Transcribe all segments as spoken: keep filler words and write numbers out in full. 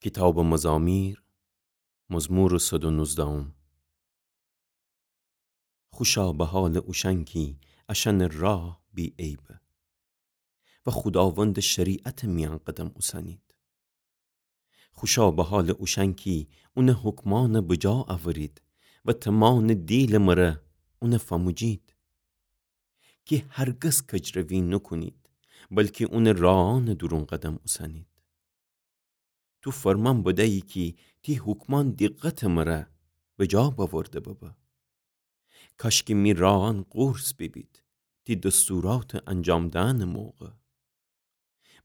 کیتابٚ مزامیر، مزمورٚ صد و نوزدهم. خوشا به حالٚ اوشأن کی اشأنٚ راه بی‌عیبه و خوداوندٚ شریعتٚ میأن قدم اوسنید. خوشا به حالٚ اوشأن کی اونٚ حکمأن بجا اورید و تمانٚ دیلٚ مره اون فموجید. کی هرگز کجروی نوکونید، بلکی اونٚ راهأنٚ دورون قدم اوسنید. تو فرمان بدیی کی تی حکمأن دیقتٚ مره بجا بأورده ببه. کاشکی می راهأن قورس بیبید، تی دستوراتٚ انجام دأنٚ موقع.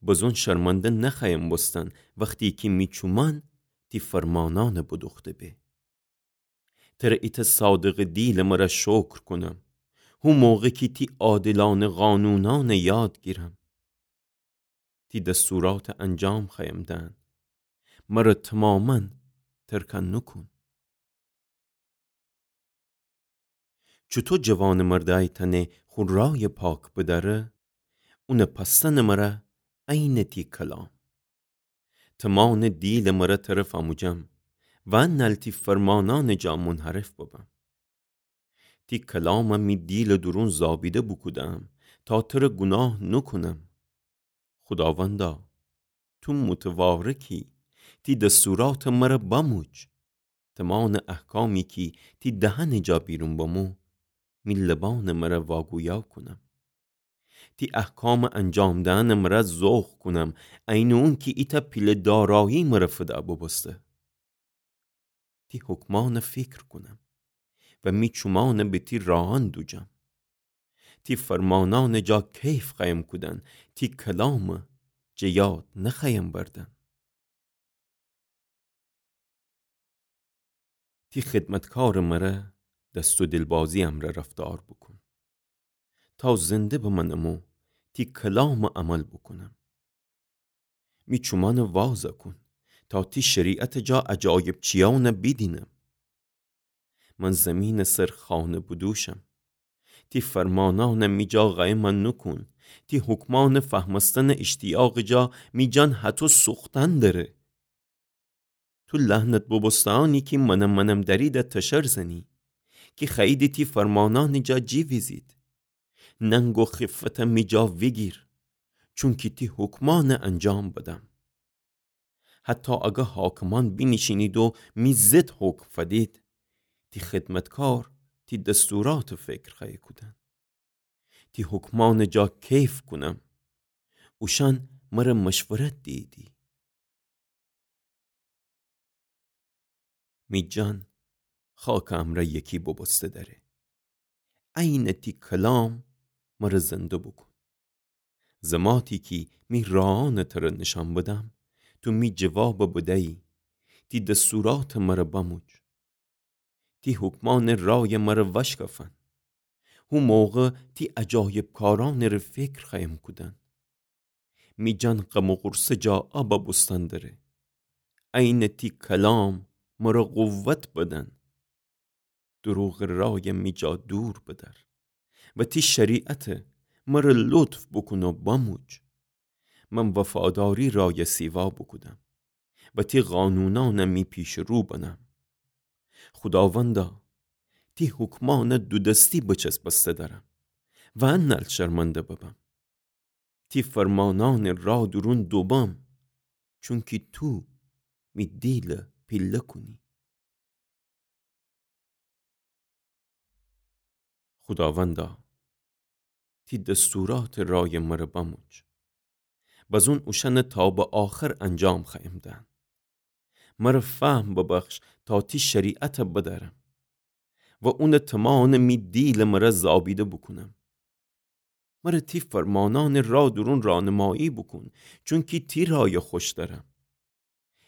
بزون شرمنده نخوأیم بوستن، وختی کی می چومأن تی فرمانأن بدوخته به. تره ایتأ صادقٚ دیلٚ مره شکر کونم، هو موقع کی تی عادلأنه قانونأن یاد گیرم. تی دستوراتٚ انجام خوأیم دأن، مره تمامأن ترکأن نوکون. چوطو جوانٚ مردأی تأنه خو رایٚ پاک بدأره، اونٚ پأستنٚ مره عینٚ تی کلام. تمانٚ دیلٚ مره تره فموجم و نل تی فرمانأنٚ جا منحرف ببم. تی کلام می دیلٚ دورون زابیده بوکودم، تا تره گوناه نوکونم. خوداوندا، تو متوارکی، تی دستوراتٚ مره بموج. تمانٚ احکامی کی تی دهنٚ جا بیرون بمو، می لبأنٚ مره واگویا کونم. تی احکامٚ انجام دأنٚ مره ذوق کونم، عینٚ اونکی ایتأ پیله دارایی مره فدا ببوسته. تی حکمأنٚ فیکر کونم و می چومأنٚ به تی راهأن دوجم. تی فرمانأنٚ جا کیف خوأیم کودن، تی کلامٚ جٚه یاد نخوأیم بردن. تی خدمتکارٚ مره دست و دلبازی امرأ رفتار بوکون، تا زنده بمأنم و تی کلامٚ عمل بوکونم. می چومأنٚ وازأ کون، تا تی شریعتٚ جا عجایب چیأنٚ بیدینم. من زیمینٚ سر خانه بدوشم. تی فرمانأنٚ می جا قایمأ نوکون. تی حکمأنٚ فهمستنٚ اشتیاقٚ جا می جان هتو سوختن دره. تو لحنت ببوستهأنی کی منم منم دأریدأ تشر زنی، کی خوأییدی تی فرمانأنٚ جا جیویزید. ننگ و خیفتأ می جا ویگیر، چونکی تی حکمأنٚ انجام بدم. حتی اگر حاکمأن بینیشینید و می ضد حکم فدید، تی خدمتکار تی دستوراتٚ فکر خوأیه کودن. تی حکمأنٚ جا کیف کونم، اوشأن مره مشورت دییدی. می جان خاکٚ امرأ یکی ببوسته دأره. عینٚ تی کلام مره زنده بوکون. زماتی کی می راهأنٚ تره نیشأن بدم، تو می جوابٚ بدیی، تی دستوراتٚ مره بموج. تی حکمأنٚ رایٚ مره وشکفن. هو موقع تی عجایب کارأنٚ ره فکر خوأیم کودن. می جان غم و غورصه جا ابأ بوستن دره. عینٚ تی کلام مره قوت بدن. دروغٚ رایٚ می جا دور بدأر و تی شریعتٚ مره لطف بوکون و بموج. من وفاداری رایٚ سیوا بوکودم و تی قانونأنٚ می پیشٚ رو بنم. خوداوندا، تی حکمأنٚ دودستی بچسبسته دأرم و انل شرمنده ببم. تی فرمانأنٚ راه دورون دوبم، چونکی تو می دیلٚ پیله کونی. خوداوندا، تی دستوراتٚ رایٚ مره بموج. بزون اوشأنٚ تا به آخر انجام خوأیم دأن. مره فهم ببخش تا تی شریعتٚ بدأرم و اونٚ تمانٚ می دیلٚ مره زابیده بوکونم. مره تی فرمانأنٚ راه دورون رانمایی بوکون، چونکی تی رایٚ خوش دأرم.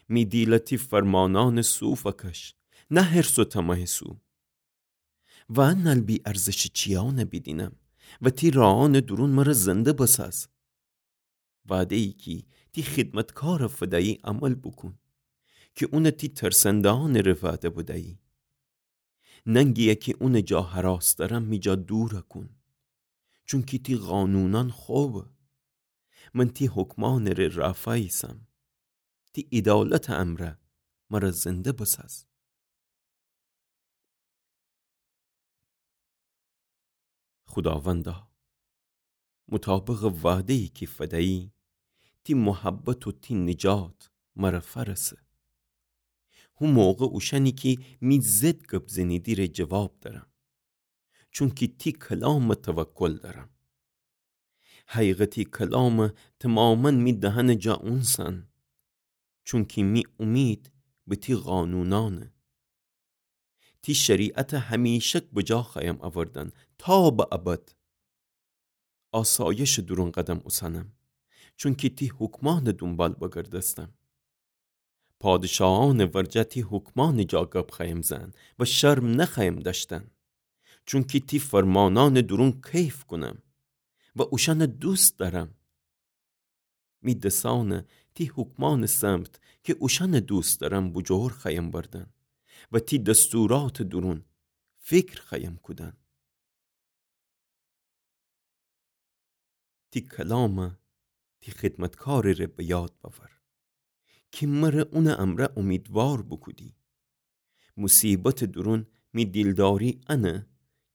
می دیلٚ تی فرمانأنٚ سو فکش، نه حرص و طمعٚ سو. و انل بی‌ارزشٚ چیأنٚ بیدینم و تی راهأنٚ دورون مره زنده بساز. وعده‌یی کی تی خدمتکارٚ فدیی عمل بوکون، کی اونٚ تی ترسنده‌یأنٚ ره وعده بدیی. ننگیی کی اونٚ جا هراس دأرم می جا دورَ کون، چونکی تی قانونأن خوبه. من تی حکمأنٚ ره رافا ایسم. تی عیدالتٚ امرأ مرَ زنده بساز. خوداوندا، مطابقٚ وعده‌یی کی فدیی، تی محبت و تی نجات مرَ فأرسه. هو موقع اوشأنی کی می ضد گب زنیدی ره جواب دأرم، چونکی تی کلامٚ توکل دأرم. حقیقتی کلامٚ تومامأن می دهنٚ جا اونسأن، چونکی می اومید به تی قانونأنه. تی شریعتَ همیشک بجا خوأیم اوردن تا به ابد. آسایشٚ دورون قدم اوسنم، چونکی تی حکمأنٚ دونبال بگردستم. پادشاهأنٚ ورجه تی حکمأنٚ جا گب خوأیم زئن و شرم نخوأیم دأشتن، چونکی تی فرمانأنٚ دورون کیف کونم و اوشأنَ دوست دأرم. می دسأنَ تی حکمأنٚ سمت کی اوشأنَ دوست دأرم بوجور خوأیم بردن و تی دستوراتٚ دورون فکر خوأیم کودن. تی کلامَ تی خدمتکارٚ ره به یاد بأور، کی مرَ اونٚ امرأ اومیدوار بوکودی. مصیبتٚ دورون می دیلداری انه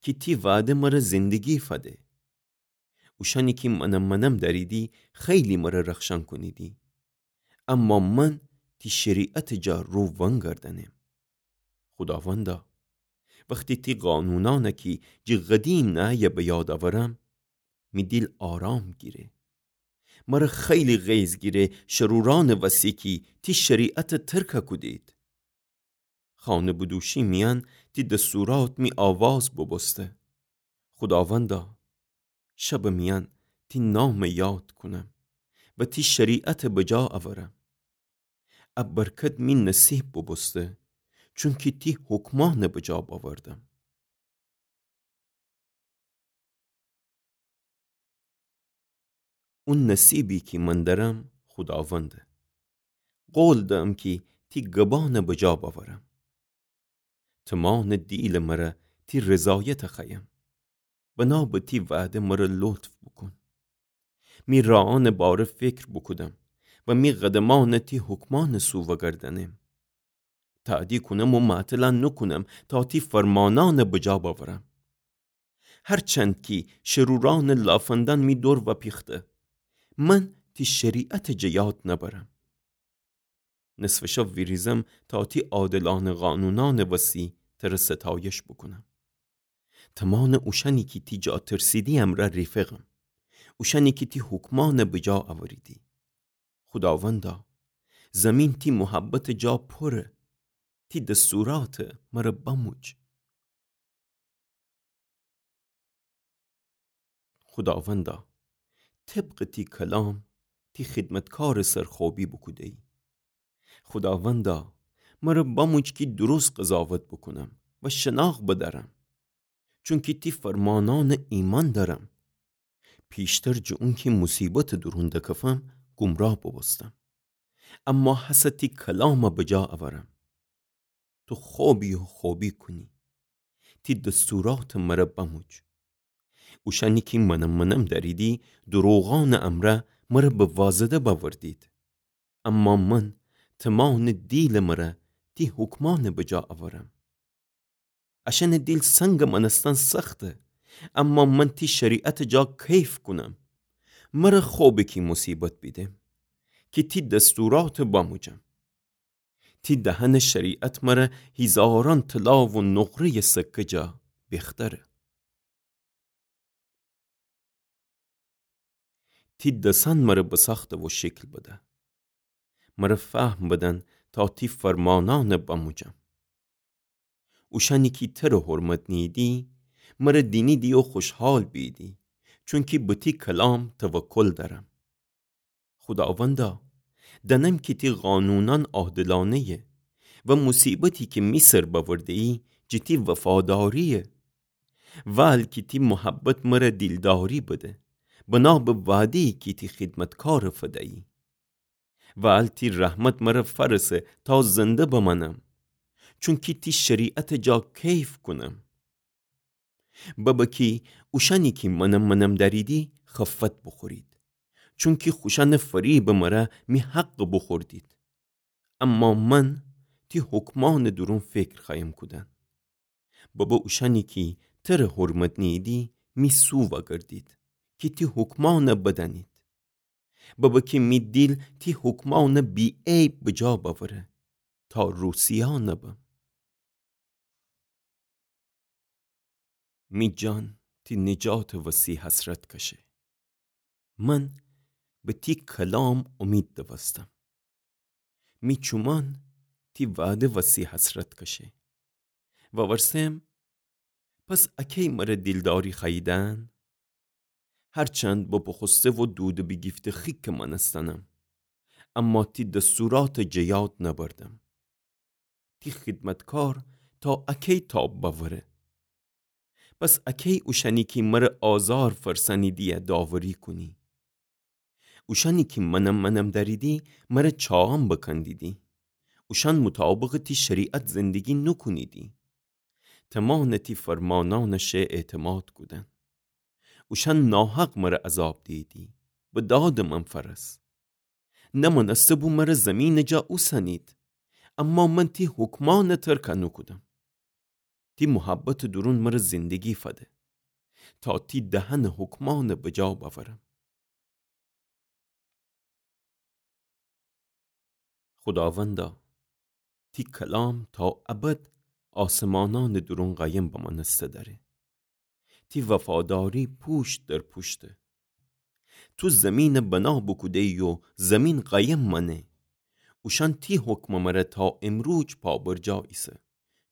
کی تی وعده مرَ زندگی فده. اوشأنی کی منم منم دأریدی، خیلی مرَ رخشأن کونیدی، اما من تی شریعتٚ جا رو ونگردأنم. خوداوندا، وختی تی قانونأنَ کی جٚه قدیم نهه‌یه به یاد اورم، می دیل آرام گیره. مرَ خیلی غیظ گیره شرورأنٚ وسی کی تی شریعتَ ترکَ کودید. خانه بدوشی میأن تی دستورات می آواز بوبوسته. خوداوندا، شبٚ میأن تی نامَ یاد کونم و تی شریعتَ بجا اورم. ا برکت می نصیب بوبوسته، چونکی تی حکمأنَ بجا بأوردم. او نصیبی کی من دأرم خوداونده. قول دأم کی تی گبأنَ بجا بأورم. تومانٚ دیلٚ مرَ تی رضایتَ خوأیم. بنا به تی وعده مرَ لطف بوکون. می راهأنٚ باره فکر بوکودم و می قدمأنَ تی حکمأنٚ سو وگردأنم. تأدی کونم و معطلَ نوکونم تا تی فرمانأنَ بجا بأورم. هر چند کی شرورأنٚ لافندأن می دور وأپیخته، من تی شریعتَ جٚه یاد نأبرم. نصفٚ شب ویریزم تا تی عادلأنه قانونأنٚ وسی تره ستایش بوکونم. تومانٚ اوشأنی کی تی جا ترسیدی امرأ ریفقم، اوشأنی کی تی حکمأنَ بجا اوریدی. خوداوندا، زمین تی محبتٚ جا پوره، تی دستورات مرَ بموج. خوداوندا، طبقٚ تی کلام تی خدمتکارٚ سر خوبی بوکوده‌یی. خوداوندا، مرَ بموج کی درست قضاوت بوکونم و شناخت بدأرم، چونکی تی فرمانأنَ ایمأن دأرم. پیشتر جٚه اونکی مصیبتٚ دورون دکفم، گمراه بوبوستم، اما هسه تی کلامَ بجا اورم. تو خوبی و خوبی کونی. تی دستورات مرَ بموج. اوشأنی کی منم منم دأریدی، دروغأنٚ امرأ مرَ به وازده بأوردید. اما من تومانٚ دیلٚ مرَ تی حکمأنَ بجا اورم. اشأنٚ دیل سنگٚ مأنستن سخته، اما من تی شریعتٚ جا کیف کونم. مرَ خوبه کی مصیبت بیدم، کی تی دستورات بموجم. تی دهنٚ شریعت مرَ هیزارأن طلا و نقره‌یٚ سکه جا بختره. تی دسأن مرَ بساخته و شکل بده. مرَ فهم بدن تا تی فرمانأنَ بموجم. اوشأنی کی تره حرمت نیییدی، مرَ دینیدی و خوشحال بییدی، چونکی به تی کلام توکل دأرم. خوداوندا، دأنم کی تی قانونأن عادلأنه‌یه و مصیبتی کی می سر بأورده‌یی جٚه تی وفادارییه. وال کی تی محبت مرَ دیلداری بده، بنا به وعده‌یی کی تی خدمتکارَ فدیی. وال تی رحمت مرَ فأرسه تا زنده بمأنم، چونکی تی شریعتٚ جا کیف کونم. ببه کی اوشأنی کی منم منم دأریدی خفت بوخورید، چونکی خوشأنٚ فریبٚ مرَ می حقَ بوخوردید. اما من تی حکمأنٚ دورون فکر خوأیم کودن. ببه اوشأنی کی تره حرمت نیییدی می سو وأگردید، کی تی حکمأن بدأنید. ببه کی می دیل تی حکمأن بی‌عیب بجا بأوره، تا روسیا نبم. می جان تی نجاتٚ وسی حسرت کشه. من به تی کلام امید دوستم. می چومأن تی وعده وسی حسرت کشه. وورسم، پس اکی مره دیلداری خوأییدن؟ هرچند بپوخوسته و دودٚ بیگیفته خیکٚ مأنستنم، اما تی دستورات جٚه یاد نبردم. تی خیدمتکار تا اکی تاب بأوره؟ پس اکی اوشأنی کی مره آزار فرسأنیدی داوری کونی؟ اوشأنی کی منم منم دأریدی، مره چاام بکندیدی. اوشأن مطابقٚ تی شریعت زندگی نوکونیدی. تمأنٚ تی فرمانأنٚ شه اعتماد کودن. اوشأن ناحق مره عذاب دییدی، به دادٚ من فأرس. نمأنسته بو مره زیمینٚ جا اوسنید، اما من تی حکمأن ترک نوکودم. تی محبتٚ دورون مره زندگی فده، تا تی دهنٚ حکمأن بجا بأورم. خوداوندا، تی کلام تا ابد آسمانأنٚ دورون قایم بمأنسته دأره. تی وفاداری پوشت در پوشته. تو زیمین بنا بوکوده‌یی و زیمین قایم مأنه. اوشأن تی حکمٚ مره تا امروج پابرجا ایسه،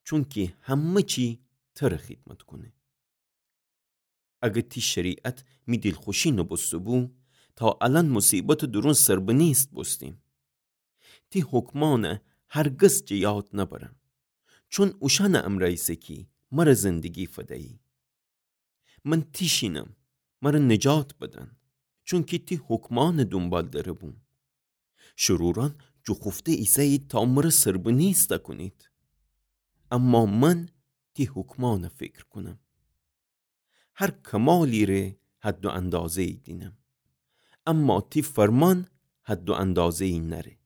چونکی همه چی تره خیدمت کونه. اگر تی شریعت می دیلخوشی نوبوسته‌بو، تا الأن مصیبتٚ دورون سربنیست بوستیم. تی حکمأن هرگز جٚه یاد نبرم، چون اوشأنٚ امرأ ایسه کی مره زندگی فدیی. من تیشینم، مره نجات بدن، چونکی تی حکمأن دونبال دره بوم. شرورأن جوخوفته ایسه‌یید تا مره سربنیست کونید، اما من تی حکمأن فکر کونم. هر کمالی ره حد و اندازه‌یی دینم، اما تی فرمان حد و اندازه‌یی نأره.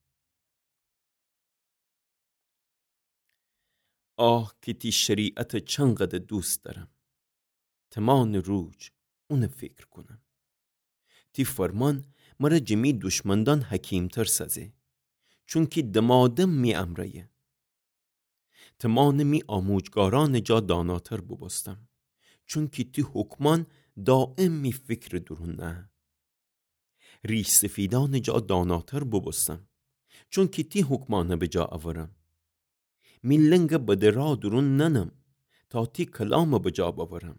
آه کی تی شریعت چنقدر دوست دأرم. تمأنٚ روج اون فکر کونم. تی فرمان مره جٚه می دشمندأن حکیمتر سازه، چونکی دمادم می امرأیه. تمأنٚ می آموجگارأنٚ جا داناتر بوبوستم، چونکی تی حکمأن دایم می فکرٚ دورون نه. ریش‌سفیدأنٚ جا داناتر بوبوستم، چونکی تی حکمأن بجا اورم. می لنگ بدرا دورون ننم، تا تی کلام بجا بأورم.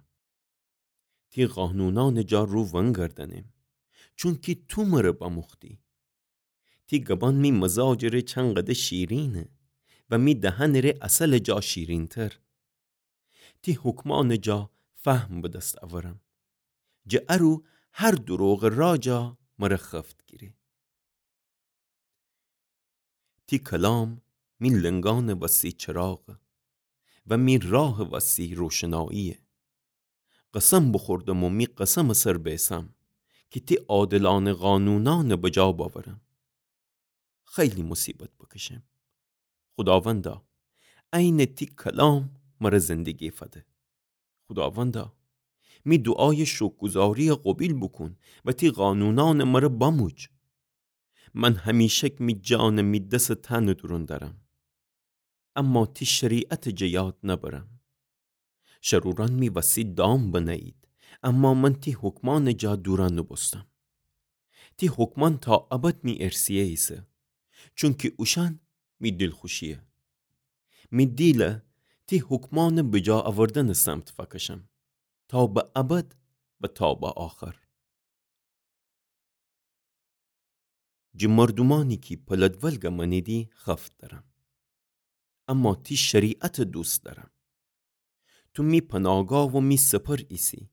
تی قانونأنٚ جا رو ونگردنم، چونکی تو مره بموختی. تی گبأن می مزاجٚ ره چنقدر شیرینه و می دهنٚ ره عسلٚ جا شیرینتر. تی حکمأنٚ جا فهم به دس اورم، جٚه ارو هر دروغٚ را جا مره خفت گیره. تی کلام می لنگأنٚ وسی چراغه و می راهٚ وسی روشناییه. قسم بوخوردم و می قسمٚ سر بیسم کی تی عادلأنٚ قانونأن بجا بأورم. خیلی مصیبت بکشم. خوداوندا، عینٚ تی کلام مره زندگی فده. خوداوندا، می دوعایٚ شوکرگوزاری قوبیل بوکون و تی قانونأن مره بموج. من همیشک می جانٚ می دسٚ تأنٚ دورون دأرم، اما تی شریعتٚ جٚه یاد نبرم. شرورأن می وسی دام بنه‌یید، اما من تی حکمأنٚ جا دورا نوبوستم. تی حکمأن تا ابد می ارثیه ایسه، چونکی اوشأن می دیلخوشیه. می دیله تی حکمأنٚ بجا اوردنٚ سمت فکشم، تا به ابد و تا به آخر. جٚه مردومأنی کی پلدولگه مأنیدی خفت دأرم، اما تی شریعتٚ دوست دأرم. تو می پناگاه و می سپر ایسی،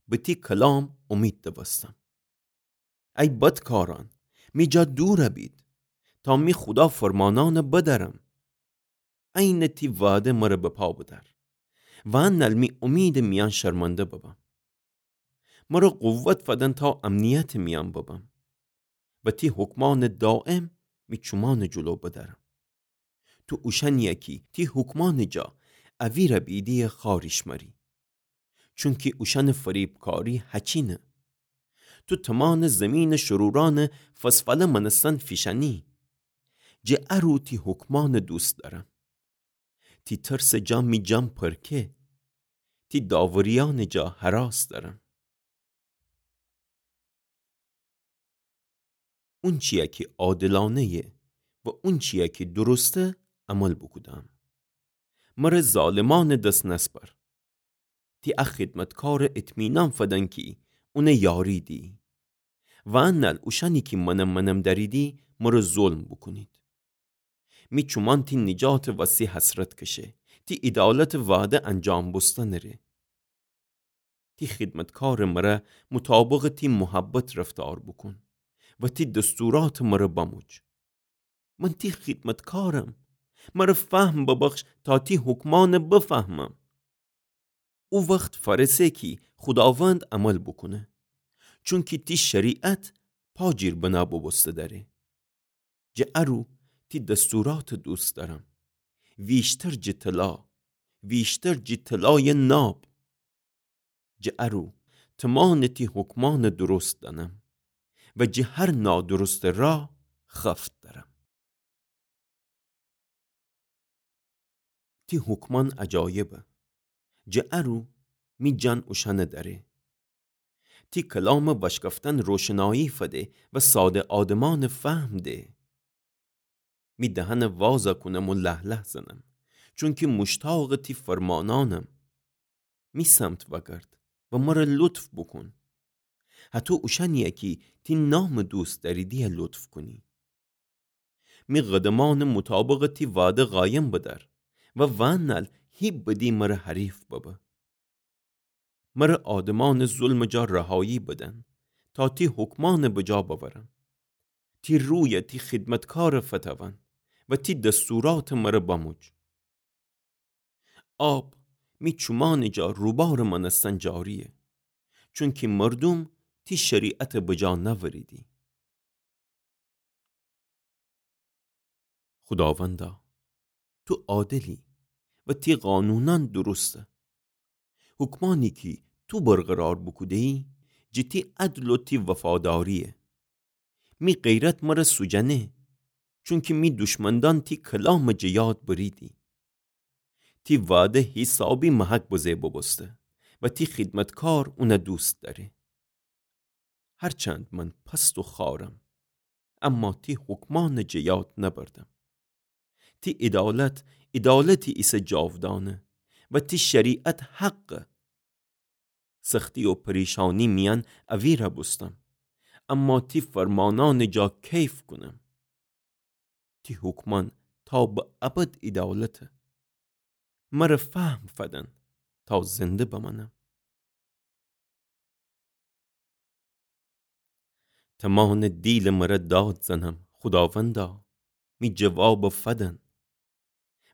به تی کلام امید دوستم. ای بدکارأن، می جا دورَ بید، تا می خودا فرمانأنَ بدأرم. عینٚ تی وعده مرَ بپا بدأر، وأنل می امیدٚ میأن شرمنده ببم. مرَ قوت فدن تا امنیتٚ میأن ببم و تی حکمأنَ دایم می چومأنٚ جلو بدأرم. تو اوشأنیی کی تی حکمأنٚ جا اویرَ بیدیی خاریش مری. چونکی اوشأنٚ فریبکاری هچینه. تو تمأنٚ زیمینٚ شورورأنٚ فسفله مأنستن فیشأنی. جٚه ا رو تی حکمأنَ دوست دأرم. تی ترسٚ جا می جان پرکه. تی داوریأنٚ جا هراس دأرم. اونچیی کی عادلأنه‌یه و اونچیی کی درسته عمل بوکودم. مر ظالمأنٚ دس نسپر. تی ا خدمتکارَ اطمینان فدن کی اونَ یاری دیی. وأنل اوشأنی کی مأنم مأنم دأریدی مر ظلم بوکونید. می چومأن تی نجاتٚ وسی حسرت کشه، تی عیدالتٚ وعده انجام بوستنٚ ره. تی خدمتکارٚ مر مطابقٚ تی محبت رفتار بوکون و تی دستوراتٚ مر بموج. من تی خدمتکارم، مر فهم ببخش تا تی حکمأنَ بفهمم. او وخت فأرسه کی خوداوند عمل بوکونه، چونکی تی شریعت پا جیر بنا بوبوسته دأره. جٚه ا رو تی دستوراتَ دوست دأرم، ویشتر جٚه طلا، ویشتر جٚه طلایٚ ناب. جٚه ا رو تمأنٚ تی حکمأنَ درست دأنم و جٚه هر نادرستٚ راه خفت دأرم. تی حکمأن عجایبه، جٚه ا رو می جان اوشأنَ دأره. تی کلامٚ وأشکفتن روشنایی فده و ساده آدمأنَ فهم ده. می دهنَ وازَ کونم و له‌له‌زنم، چونکی موشتاقٚ تی فرمانأنم. می سمت وأگرد و مر لطف بوکون. هطو اوشأنیی کی تی نامٚ دوست دأریدی لطف کونی. می قدمأنَ مطابقٚ تی وعده قایم بدأر و وأنل هی بدی مر حریف ببه. مر آدمأنٚ ظلمٚ جا رهایی بدن، تا تی حکمأنَ بجا بأورم. تی رویَ تی خدمتکارَ فتأون و تی دستوراتٚ مر بموج. آب می چومأنٚ جا روبارٚ مأنستن جاریه، چونکی مردوم تی شریعتَ بجا نأوریدی. خوداوندا، تو عادلی و تی قانونأن درسته. حکمأنی کی تو برقرار بوکوده‌یی، جٚه تی عدل و تی وفاداریه. می غیرت مر سوجنه، چونکی می دشمندأن تی کلامٚ جٚه یاد بریدی. تی وعده هیسابی محک بزه ببوسته و تی خدمتکار اونَ دوست دأره. هرچند من پست و خوأرم، اما تی حکمأنٚ جٚه یاد نبردم. تی عیدالت، عیدالتی ایسه جاودانه و تی شریعت حقه. سختی و پریشانی میأن اویرَ بوستم، اما تی فرمانأنٚ جا کیف کونم. تی حکمأن تا به ابد عیدالته. مر فهم فدن تا زنده بمأنم. تمأنٚ دیلٚ مر داد زنم، خوداوندا، می جوابَ فدن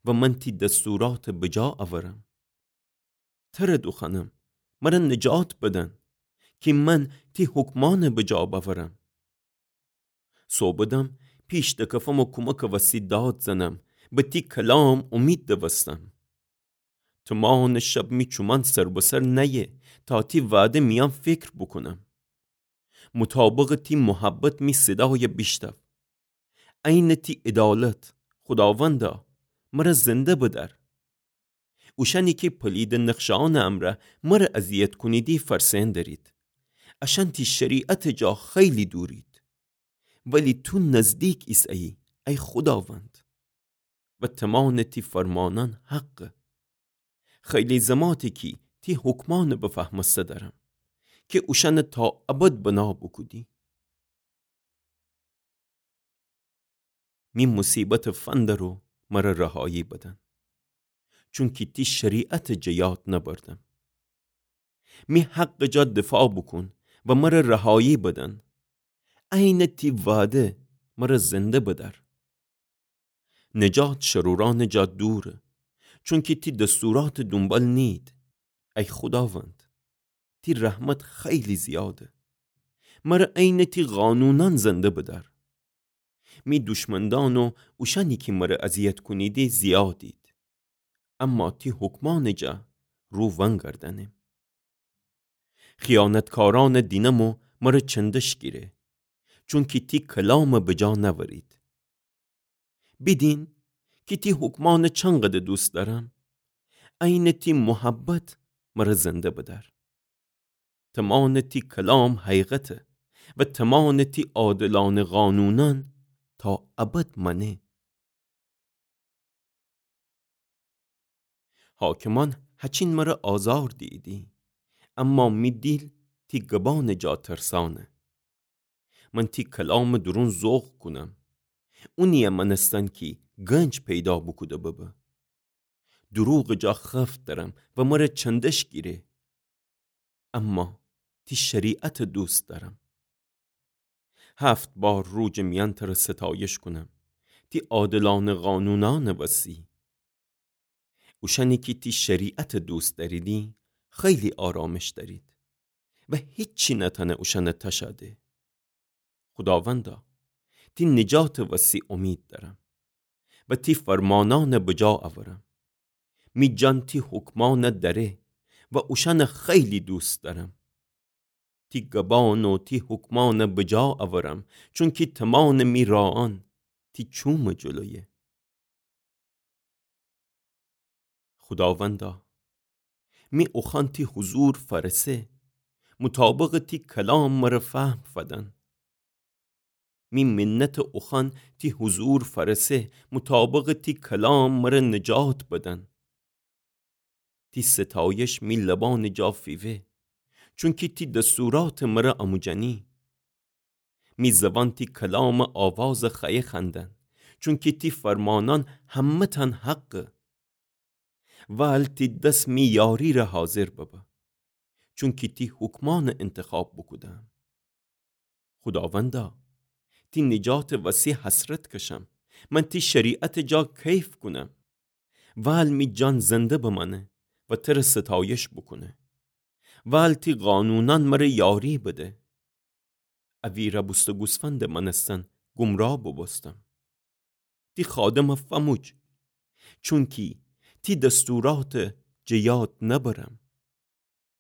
و من تی دستوراتَ بجا اورم. تره دوخوأنم، مر نجات بدن، کی من تی حکمأنَ بجا بأورم. صوبٚ دم پیش دکفم و کومکٚ وسی داد زنم، به تی کلام اومید دوستم. تمأنٚ شب می چومأن سر به سر نأیه، تا تی وعده میأن فکر بوکونم. مطابقٚ تی محبت می صدایَ بیشتأو. عینٚ تی عدالت، خوداوندا، مر زنده بدأر. اوشأنی کی پلیدٚ نقشه‌یأنٚ امرأ مر اذیت کونیدی فرسأن درید. اشأن تی شریعتٚ جا خیلی دورید. ولی تو نزدیک ایسه‌یی، ای خوداوند. و تمأنٚ تی فرمأنأن حقه. خیلی زماته کی تی حکمأنَ بفهمسته درم، کی اوشأنَ تا ابد بنا بوکودی. می مصیبتٚ فندرو مر رهایی بدن، چونکی تی شریعتٚ جٚه یاد نبردم. می حقٚ جا دفاع بوکون و مر رهایی بدن. عینٚ تی وعده مر زنده بدأر. نجات شرورأنٚ جا دوره، چونکی تی دستوراتٚ دونبال نیید. ای خوداوند، تی رحمت خیلی زیاده. مر عینٚ تی قانونأن زنده بدأر. می دوشمندان و اوشأنی کی مرَ اذیت کونیدی زیادید، اما تی حکمأنٚ جا رو ونگردأنم. خیانتکارأنَ دینم و مرَ چندش گیره، چونکی تی کلامَ بجا نأورید. بیدین کی تی حکمأنَ چنقدر دوست دأرم. عینٚ تی محبت مرَ زنده بدأر. تمأنٚ تی کلام حقیقته و تمأنٚ تی عادلأنه قانونأن تا ابد مأنه. حاکمأن هچین مرَ آزار دییدی، اما می دیل تی گبأنٚ جا ترسأنه. من تی کلامٚ دورون ذوق کونم، اونیَ مأنستن کی گنج پیدا بوکوده ببه. دروغٚ جا خفت دأرم و مرَ چندش گیره، اما تی شریعتَ دوست دأرم. هفت بار روجٚ میأن ترَ ستایش کونم، تی عادلأنه قانونأنٚ وسی. اوشأنی کی تی شریعتَ دوست دأریدی، خیلی آرامش دأرید و هیچی نتأنه اوشأنَ تشأده. خوداوندا، تی نجاتٚ وسی امید دأرم و تی فرمانأنَ بجا اورم. می جان تی حکمأنَ دأره و اوشأنَ خیلی دوست دأرم. تی گبأن و تی حکمأنَ بجا اورم، چونکی تمأنٚ می راهأن تی چومٚ جلویه. خوداوندا، می اوخوأن تی حضور فأرسه، مطابقٚ تی کلام مرَ فهم فدن. می منتٚ اوخوأن تی حضور فأرسه، مطابقٚ تی کلام مرَ نجات بدن. تی ستایش می لبأنٚ جا فیوه، چونکی تی دستوراتَ مرَ آموجأنی. می زوان تی کلامٚ آوازَ خوأیه خوأندن، چونکی تی فرمانأن همه‌تأن حقه. وال تی دس می یاری‌ره حاضر ببه، چونکی تی حکمأنَ انتخاب بوکودم. خوداوندا، تی نجاتٚ وسی حسرت کشم، من تی شریعتٚ جا کیف کونم. وال می جان زنده بمأنه و ترَ ستایش بوکونه. وال تی قانونأن مرَ یاری بده. اویرَ بوسته گوسفندٚ مأنستن گمراه بوبوستم. تی خادمَ فأموج، چونکی تی دستوراتَ جٚه یاد نبرم.